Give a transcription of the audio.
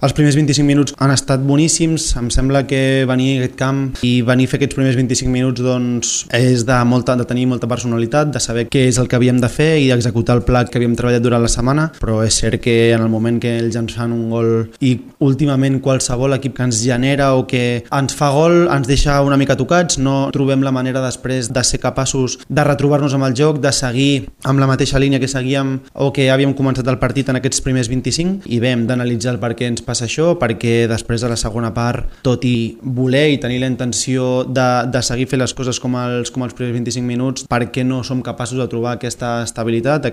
Els primers 25 minuts han estat boníssims, em sembla que venir a aquest camp i venir a fer aquests primers 25 minuts doncs, és de tenir molta personalitat, de saber què és el que havíem de fer i executar el pla que havíem treballat durant la setmana, però és cert que en el moment que ells ens fan un gol i últimament qualsevol equip que ens genera o que ens fa gol ens deixa una mica tocats, no trobem la manera després de ser capaços de retrobar-nos amb el joc, de seguir amb la mateixa línia que seguíem o que havíem començat el partit en aquests primers 25 i bé, hem d'analitzar el per què ens passa això, perquè després de la segona part, tot i voler i tenir la intenció de seguir fent les coses com els primers 25 minuts, per què no som capaços de trobar aquesta estabilitat,